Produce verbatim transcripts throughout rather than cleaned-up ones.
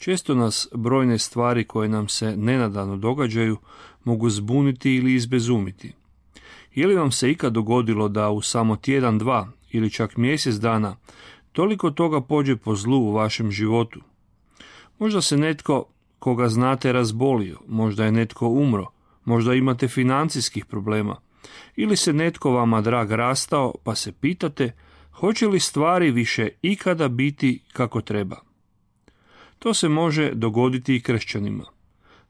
Često nas brojne stvari koje nam se nenadano događaju mogu zbuniti ili izbezumiti. Je li vam se ikad dogodilo da u samo tjedan, dva ili čak mjesec dana toliko toga pođe po zlu u vašem životu? Možda se netko koga znate razbolio, možda je netko umro, možda imate financijskih problema, ili se netko vama drag rastao pa se pitate hoće li stvari više ikada biti kako treba. To se može dogoditi i kršćanima.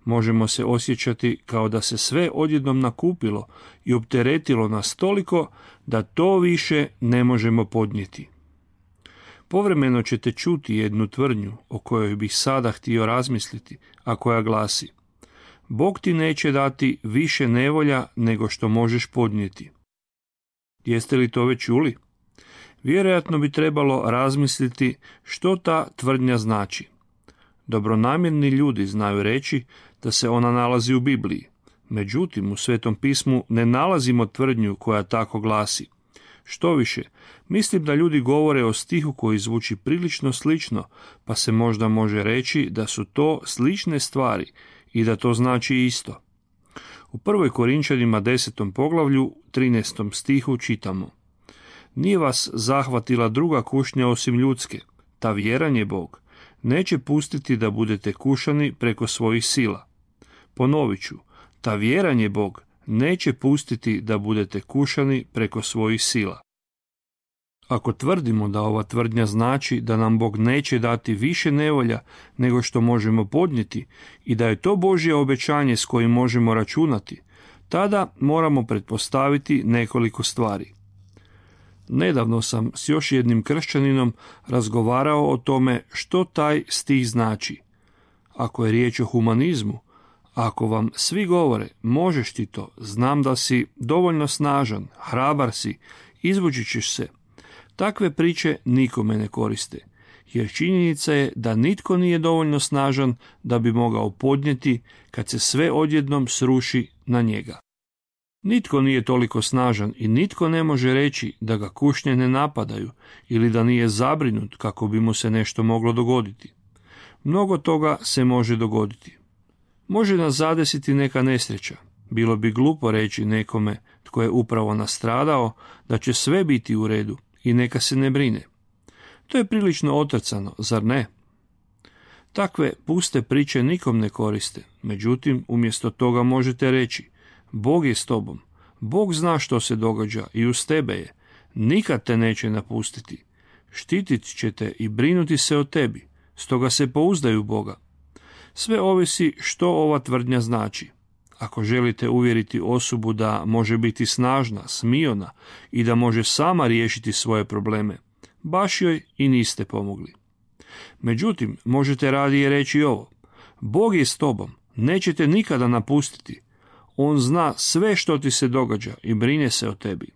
Možemo se osjećati kao da se sve odjednom nakupilo i opteretilo nas toliko da to više ne možemo podnijeti. Povremeno ćete čuti jednu tvrdnju o kojoj bih sada htio razmisliti, a koja glasi: Bog ti neće dati više nevolja nego što možeš podnijeti. Jeste li to već čuli? Vjerojatno bi trebalo razmisliti što ta tvrdnja znači. Dobronamjerni ljudi znaju reći da se ona nalazi u Bibliji. Međutim, u Svetom pismu ne nalazimo tvrdnju koja tako glasi. Štoviše, mislim da ljudi govore o stihu koji zvuči prilično slično, pa se možda može reći da su to slične stvari i da to znači isto. U prvoj Korinčanima desetom poglavlju, trinaestom stihu čitamo: Nije vas zahvatila druga kušnja osim ljudske, ta vjeran je Bog. Neće pustiti da budete kušani preko svojih sila. Ponovit ću, ta vjeran je Bog, neće pustiti da budete kušani preko svojih sila. Ako tvrdimo da ova tvrdnja znači da nam Bog neće dati više nevolja nego što možemo podnijeti i da je to Božje obećanje s kojim možemo računati, tada moramo pretpostaviti nekoliko stvari. Nedavno sam s još jednim kršćaninom razgovarao o tome što taj stih znači. Ako je riječ o humanizmu, ako vam svi govore možeš ti to, znam da si dovoljno snažan, hrabar si, izvući ćeš se, takve priče nikome ne koriste, jer činjenica je da nitko nije dovoljno snažan da bi mogao podnijeti kad se sve odjednom sruši na njega. Nitko nije toliko snažan i nitko ne može reći da ga kušnje ne napadaju ili da nije zabrinut kako bi mu se nešto moglo dogoditi. Mnogo toga se može dogoditi. Može nas zadesiti neka nesreća. Bilo bi glupo reći nekome tko je upravo nastradao da će sve biti u redu i neka se ne brine. To je prilično otrcano, zar ne? Takve puste priče nikom ne koriste, međutim umjesto toga možete reći: Bog je s tobom, Bog zna što se događa i uz tebe je, nikad te neće napustiti, štitit će te i brinuti se o tebi, stoga se pouzdaj u Boga. Sve ovisi što ova tvrdnja znači. Ako želite uvjeriti osobu da može biti snažna, smiona i da može sama riješiti svoje probleme, baš joj i niste pomogli. Međutim, možete radije reći ovo: Bog je s tobom, neće te nikada napustiti. On zna sve što ti se događa i brine se o tebi.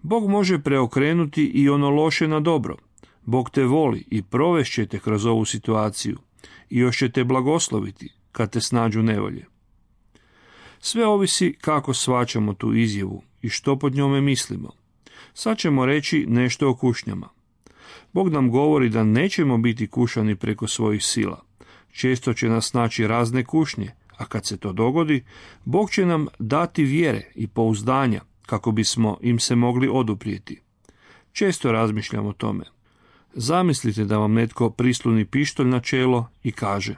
Bog može preokrenuti i ono loše na dobro. Bog te voli i provest te kroz ovu situaciju i još će te blagosloviti kad te snađu nevolje. Sve ovisi kako shvaćamo tu izjavu i što pod njome mislimo. Sad ćemo reći nešto o kušnjama. Bog nam govori da nećemo biti kušani preko svojih sila. Često će nas naći razne kušnje, a kad se to dogodi, Bog će nam dati vjere i pouzdanja kako bismo im se mogli oduprijeti. Često razmišljam o tome. Zamislite da vam netko prisloni pištolj na čelo i kaže: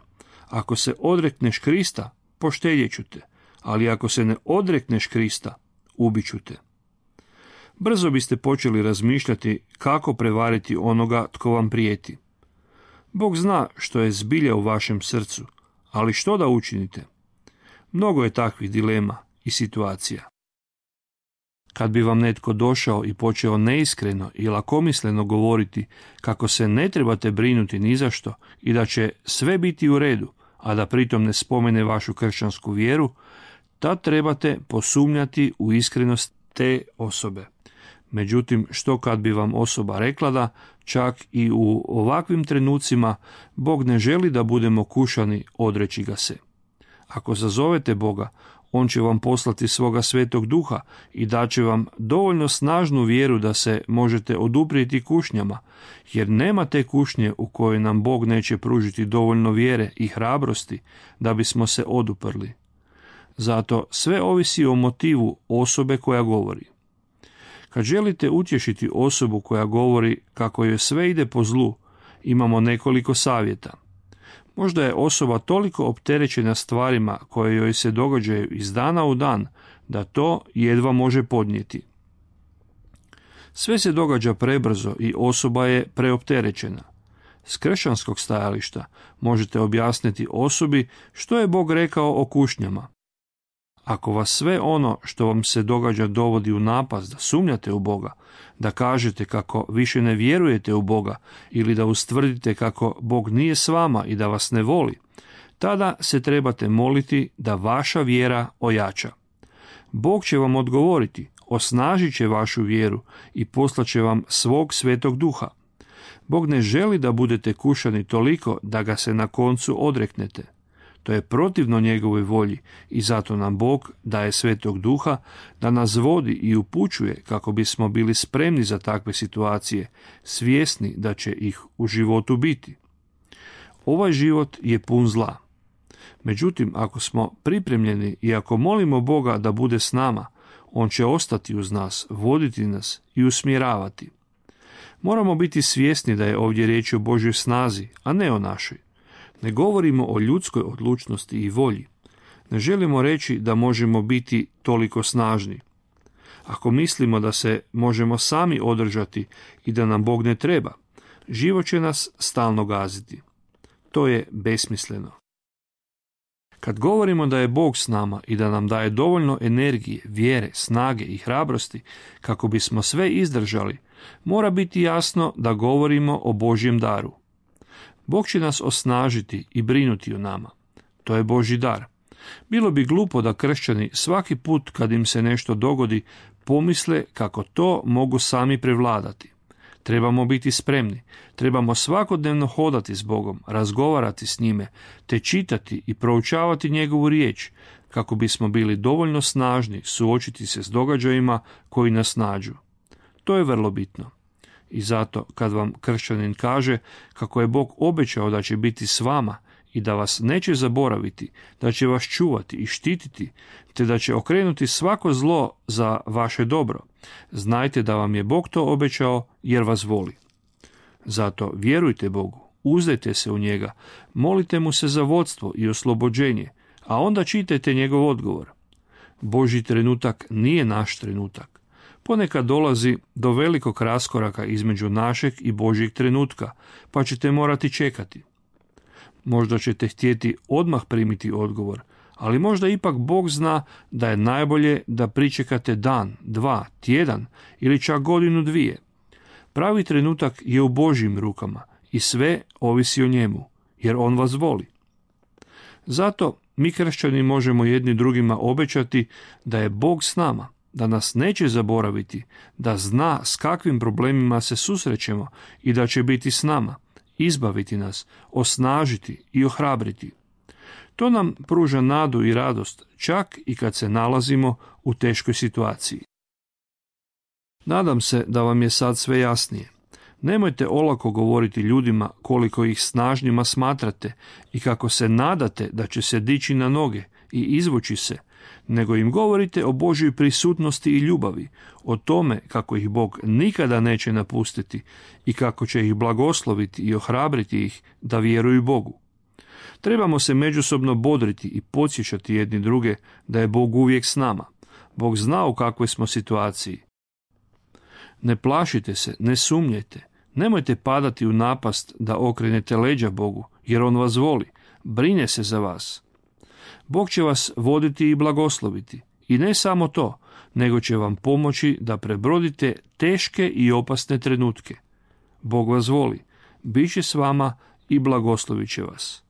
Ako se odrekneš Krista, poštedjet ću te, ali ako se ne odrekneš Krista, ubit ću te. Brzo biste počeli razmišljati kako prevariti onoga tko vam prijeti. Bog zna što je zbilja u vašem srcu, ali što da učinite? Mnogo je takvih dilema i situacija. Kad bi vam netko došao i počeo neiskreno i lakomisleno govoriti kako se ne trebate brinuti ni za što i da će sve biti u redu, a da pritom ne spomene vašu kršćansku vjeru, tad trebate posumnjati u iskrenost te osobe. Međutim, što kad bi vam osoba rekla da čak i u ovakvim trenucima Bog ne želi da budemo kušani odreći ga se. Ako zazovete Boga, On će vam poslati svoga svetog duha i daće vam dovoljno snažnu vjeru da se možete oduprijeti kušnjama, jer nema te kušnje u kojoj nam Bog neće pružiti dovoljno vjere i hrabrosti da bismo se oduprli. Zato sve ovisi o motivu osobe koja govori. Kad želite utješiti osobu koja govori kako joj sve ide po zlu, imamo nekoliko savjeta. Možda je osoba toliko opterećena stvarima koje joj se događaju iz dana u dan, da to jedva može podnijeti. Sve se događa prebrzo i osoba je preopterećena. S kršćanskog stajališta možete objasniti osobi što je Bog rekao o kušnjama. Ako vas sve ono što vam se događa dovodi u napast da sumnjate u Boga, da kažete kako više ne vjerujete u Boga ili da ustvrdite kako Bog nije s vama i da vas ne voli, tada se trebate moliti da vaša vjera ojača. Bog će vam odgovoriti, osnažit će vašu vjeru i poslaće vam svog svetog duha. Bog ne želi da budete kušani toliko da ga se na koncu odreknete. To je protivno njegovoj volji i zato nam Bog daje svetog duha da nas vodi i upućuje kako bismo bili spremni za takve situacije, svjesni da će ih u životu biti. Ovaj život je pun zla. Međutim, ako smo pripremljeni i ako molimo Boga da bude s nama, on će ostati uz nas, voditi nas i usmjeravati. Moramo biti svjesni da je ovdje riječ o Božjoj snazi, a ne o našoj. Ne govorimo o ljudskoj odlučnosti i volji. Ne želimo reći da možemo biti toliko snažni. Ako mislimo da se možemo sami održati i da nam Bog ne treba, život će nas stalno gaziti. To je besmisleno. Kad govorimo da je Bog s nama i da nam daje dovoljno energije, vjere, snage i hrabrosti kako bismo sve izdržali, mora biti jasno da govorimo o Božjem daru. Bog će nas osnažiti i brinuti o nama. To je Božji dar. Bilo bi glupo da kršćani svaki put kad im se nešto dogodi pomisle kako to mogu sami prevladati. Trebamo biti spremni. Trebamo svakodnevno hodati s Bogom, razgovarati s njime, te čitati i proučavati njegovu riječ, kako bismo bili dovoljno snažni suočiti se s događajima koji nas nađu. To je vrlo bitno. I zato kad vam kršćanin kaže kako je Bog obećao da će biti s vama i da vas neće zaboraviti, da će vas čuvati i štititi, te da će okrenuti svako zlo za vaše dobro, znajte da vam je Bog to obećao jer vas voli. Zato vjerujte Bogu, uzdajte se u njega, molite mu se za vodstvo i oslobođenje, a onda čitajte njegov odgovor. Božji trenutak nije naš trenutak. Ponekad dolazi do velikog raskoraka između našeg i Božjeg trenutka, pa ćete morati čekati. Možda ćete htjeti odmah primiti odgovor, ali možda ipak Bog zna da je najbolje da pričekate dan, dva, tjedan ili čak godinu dvije. Pravi trenutak je u Božjim rukama i sve ovisi o njemu, jer on vas voli. Zato mi kršćani možemo jedni drugima obećati da je Bog s nama, da nas neće zaboraviti, da zna s kakvim problemima se susrećemo i da će biti s nama, izbaviti nas, osnažiti i ohrabriti. To nam pruža nadu i radost, čak i kad se nalazimo u teškoj situaciji. Nadam se da vam je sad sve jasnije. Nemojte olako govoriti ljudima koliko ih snažnjima smatrate i kako se nadate da će se dići na noge i izvući se, nego im govorite o Božjoj prisutnosti i ljubavi, o tome kako ih Bog nikada neće napustiti i kako će ih blagosloviti i ohrabriti ih da vjeruju Bogu. Trebamo se međusobno bodriti i podsjećati jedni druge da je Bog uvijek s nama. Bog zna u kakvoj smo situaciji. Ne plašite se, ne sumnjajte, nemojte padati u napast da okrenete leđa Bogu, jer on vas voli, brine se za vas. Bog će vas voditi i blagosloviti. I ne samo to, nego će vam pomoći da prebrodite teške i opasne trenutke. Bog vas voli, bit će s vama i blagoslovit će vas.